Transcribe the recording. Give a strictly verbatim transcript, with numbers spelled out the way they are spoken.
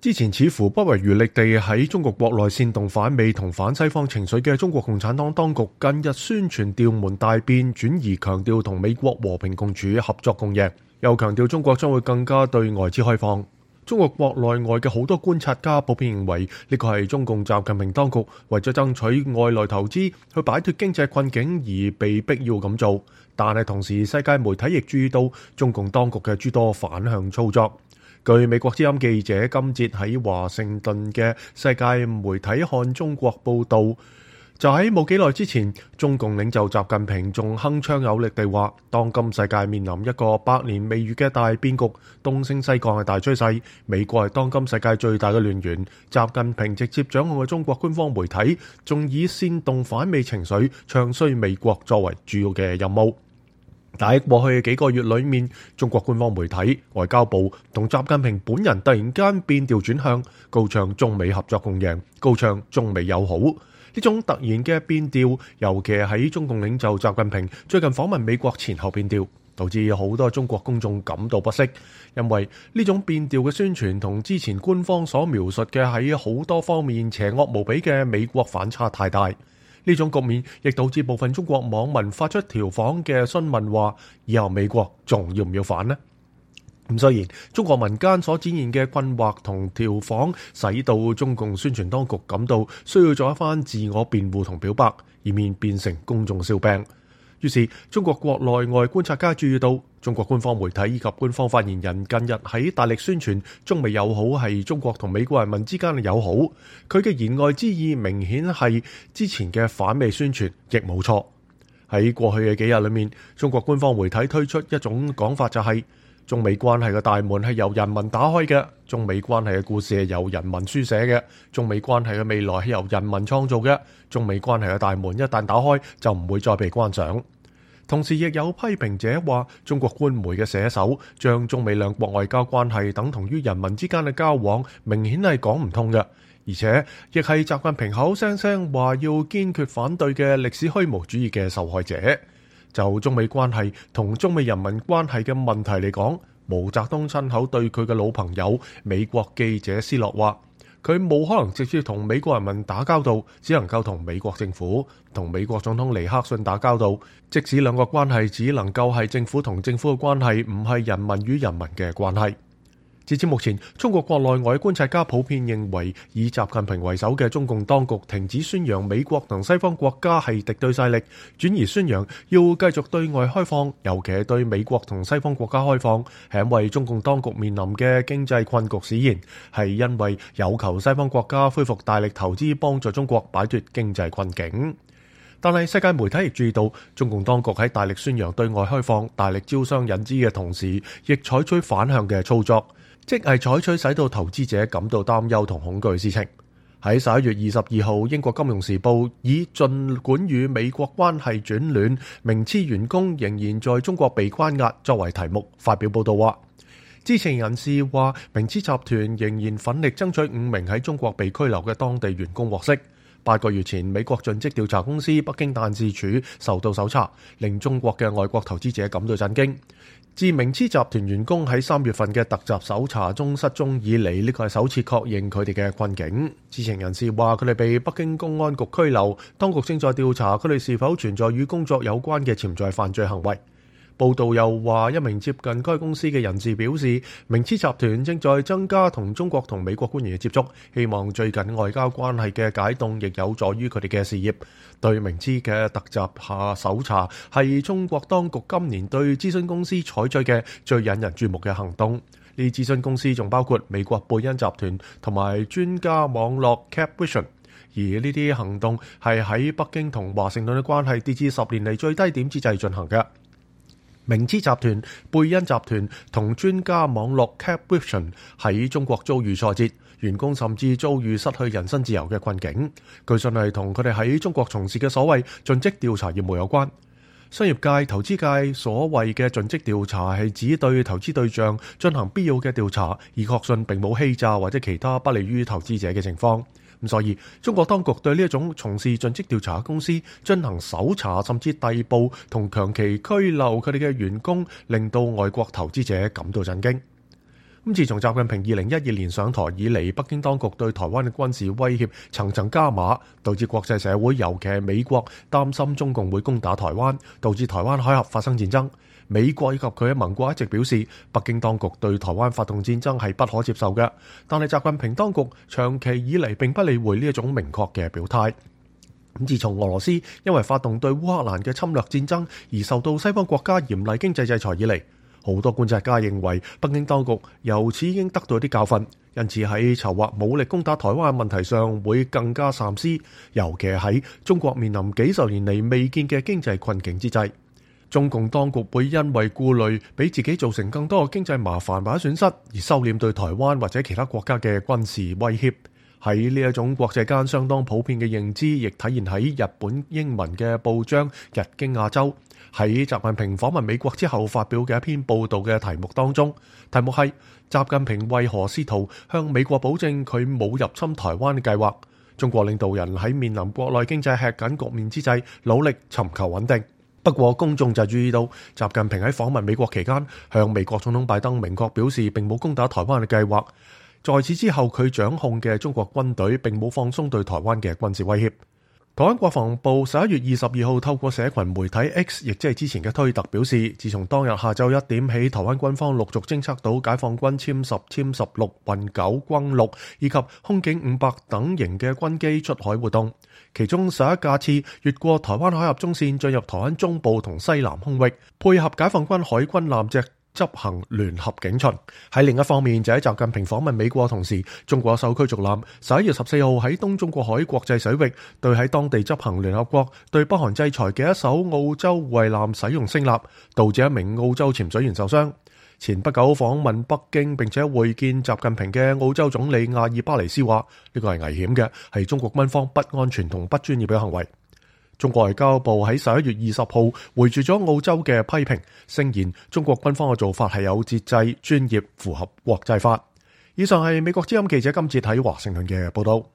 之前似乎不遺餘力地喺中國國內煽動反美同反西方情緒嘅中國共產黨當局，近日宣傳調門大變，轉而強調同美國和平共處、合作共贏，又強調中國將會更加對外之開放。中國國內外嘅好多觀察家普遍認為，呢個係中共習近平當局為咗爭取外來投資去擺脫經濟困境而被逼要咁做。但係同時，世界媒體亦注意到中共當局嘅諸多反向操作。據美國之音記者今節喺華盛頓嘅世界媒體看中國報道，就喺冇幾耐之前，中共領袖習近平仲鏗鏘有力地話，當今世界面臨一個百年未遇嘅大變局，東升西降係大趨勢，美國係當今世界最大嘅亂源。習近平直接掌控嘅中國官方媒體，仲以煽動反美情緒、唱衰美國作為主要嘅任務。但喺過去嘅幾個月裏面，中國官方媒體、外交部同習近平本人突然間變調轉向，高唱中美合作共贏，高唱中美友好。呢種突然嘅變調，尤其係喺中共領袖習近平最近訪問美國前後變調，導致好多中國公眾感到不適，因為呢種變調嘅宣傳同之前官方所描述嘅喺好多方面邪惡無比嘅美國反差太大。呢種局面亦導致部分中國網民發出調侃嘅詢問話：以後美國仲要唔要反呢？咁雖然中國民間所展現嘅困惑同調侃，使到中共宣傳當局感到需要做一番自我辯護同表白，以免變成公眾笑柄。於是中國國內外觀察家注意到，中國官方媒體以及官方發言人近日喺大力宣傳中美友好係中國同美國人民之間嘅友好，佢嘅言外之意明顯係之前嘅反美宣傳亦冇錯。喺過去嘅幾日裏面，中國官方媒體推出一種講法，就係中美關係嘅大門係由人民打開嘅，中美關係嘅故事係由人民書寫嘅，中美關係嘅未來係由人民創造嘅，中美關係嘅大門一旦打開就唔會再被關上。同時亦有批評者話，中國官媒嘅寫手將中美兩國外交關係等同於人民之間嘅交往，明顯係講唔通嘅，而且亦係習近平口聲聲話要堅決反對嘅歷史虛無主義嘅受害者。就中美關係同中美人民關係嘅問題嚟講，毛澤東親口對佢嘅老朋友美國記者斯諾話，佢冇可能直接同美國人民打交道，只能夠同美國政府同美國總統尼克遜打交道。即使兩個關係只能夠係政府同政府嘅關係，唔係人民與人民嘅關係。截至目前，中國國內外觀察家普遍認為，以習近平為首嘅中共當局停止宣揚美國同西方國家係敵對勢力，轉而宣揚要繼續對外開放，尤其係對美國同西方國家開放，係因為中共當局面臨嘅經濟困局使然，係因為有求西方國家恢復大力投資幫助中國擺脫經濟困境。但係世界媒體亦注意到，中共當局喺大力宣揚對外開放、大力招商引資嘅同時，亦採取反向嘅操作，即係採取使到投資者感到擔憂同恐懼嘅事情。喺十一月二十二號，英國金融時報以盡管與美國關係轉暖，明知員工仍然在中國被關押作為題目發表報道話，知情人士話，明知集團仍然奮力爭取五名喺中國被拘留嘅當地員工獲釋。八個月前，美國盡職調查公司北京辦事處受到搜查，令中國嘅外國投資者感到震驚。自明知集團員工喺三月份嘅突襲搜查中失蹤以嚟，呢個係首次確認佢哋嘅困境。知情人士話，佢哋被北京公安局拘留，當局正在調查佢哋是否存在與工作有關嘅潛在犯罪行為。報道又話，一名接近該公司嘅人士表示，明知集團正在增加同中國同美國官員嘅接觸，希望最近外交關係嘅解凍亦有助於佢哋嘅事業。對明知嘅突襲下搜查係中國當局今年對諮詢公司採取嘅最引人注目嘅行動。呢諮詢公司仲包括美國貝恩集團同埋專家網絡 Capvision， 而呢啲行動係喺北京同華盛頓嘅關係跌至十年嚟最低點之際進行嘅。明知集團、貝恩集團同專家網絡 Capvision 喺中國遭遇挫折，員工甚至遭遇失去人身自由嘅困境。據信係同佢哋喺中國從事嘅所謂盡職調查業務有關。商業界、投資界所謂嘅盡職調查係指對投資對象進行必要嘅調查，以確信並冇欺詐或者其他不利於投資者嘅情況。咁所以，中國當局對呢一種從事盡職調查嘅公司進行搜查，甚至逮捕同長期拘留佢哋嘅員工，令到外國投資者感到震驚。咁自從習近平二零一二年上台以嚟，北京當局對台灣嘅軍事威脅層層加碼，導致國際社會，尤其係美國擔心中共會攻打台灣，導致台灣海峽發生戰爭。美國以及佢嘅盟國一直表示，北京當局對台灣發動戰爭係不可接受嘅。但係習近平當局長期以嚟並不理會呢一種明確嘅表態。咁自從俄羅斯因為發動對烏克蘭嘅侵略戰爭而受到西方國家嚴厲經濟制裁以嚟，好多觀察家認為北京當局由此已經得到一啲教訓，因此喺籌劃武力攻打台灣嘅問題上會更加三思，尤其喺中國面臨幾十年嚟未見嘅經濟困境之際。中共當局會因為顧慮俾自己造成更多嘅經濟麻煩或者損失，而收斂對台灣或者其他國家嘅軍事威脅。喺呢一種國際間相當普遍嘅認知，亦體現喺日本英文嘅報章《日經亞洲》喺習近平訪問美國之後發表嘅一篇報導嘅題目當中，題目係習近平為何試圖向美國保證佢冇入侵台灣嘅計劃？中國領導人喺面臨國內經濟吃緊局面之際，努力尋求穩定。不過公眾就注意到，習近平喺訪問美國期間，向美國總統拜登明確表示並冇攻打台灣嘅計劃。在此之後，佢掌控嘅中國軍隊並冇放鬆對台灣嘅軍事威脅。台灣國防部十一月二十二號透過社群媒體 X， 亦即係之前嘅推特表示，自從當日下晝一點起，台灣軍方陸續偵測到解放軍殲十、殲十六、運九、轟六以及空警五百等型嘅軍機出海活動，其中十一架次越過台灣海峽中線進入台灣中部同西南空域，配合解放軍海軍艦隻執行聯合警巡。喺另一方面，就喺習近平訪問美國同時，中國首艘驅逐艦十一月十四號喺東中國海國際水域對喺當地執行聯合國對北韓制裁嘅一艘澳洲護衛艦使用聲納，導致一名澳洲潛水員受傷。前不久訪問北京並且會見習近平嘅澳洲總理阿爾巴尼斯話，呢個係危險嘅，係中國軍方不安全同不專業嘅行為。中國外交部喺十一月二十號回絕咗澳洲嘅批評，聲言中國軍方嘅做法係有節制、專業、符合國際法。以上係美國之音記者金哲喺華盛頓嘅報道。